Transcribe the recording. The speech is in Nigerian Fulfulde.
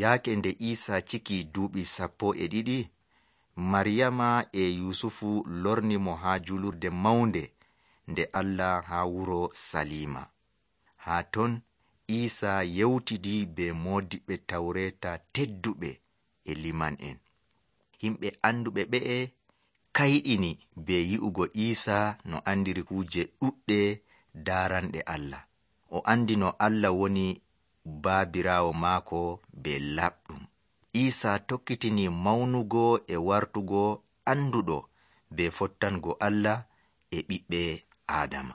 Yaake nde Iisa ciki duuɓi 12, Maryama e Yusufu lorni mo haa julurde mawnde nde Allah haa wuro Salima. Haa ton Iisa yewtidi be moodiɓɓe Tawreeta tedduɓe e liman'en. Himɓe anduɓe ɓe'e kayɗini be yi'ugo Iisa no andiri kuuje ɗuɗɗe daaranɗe Allah. O andi no Allah woni baabiraawo maako be laɓɗum. Iisa tokkitini mawnugo e wartugo anduɗo be fottango Allah e ɓiɓɓe Aadama.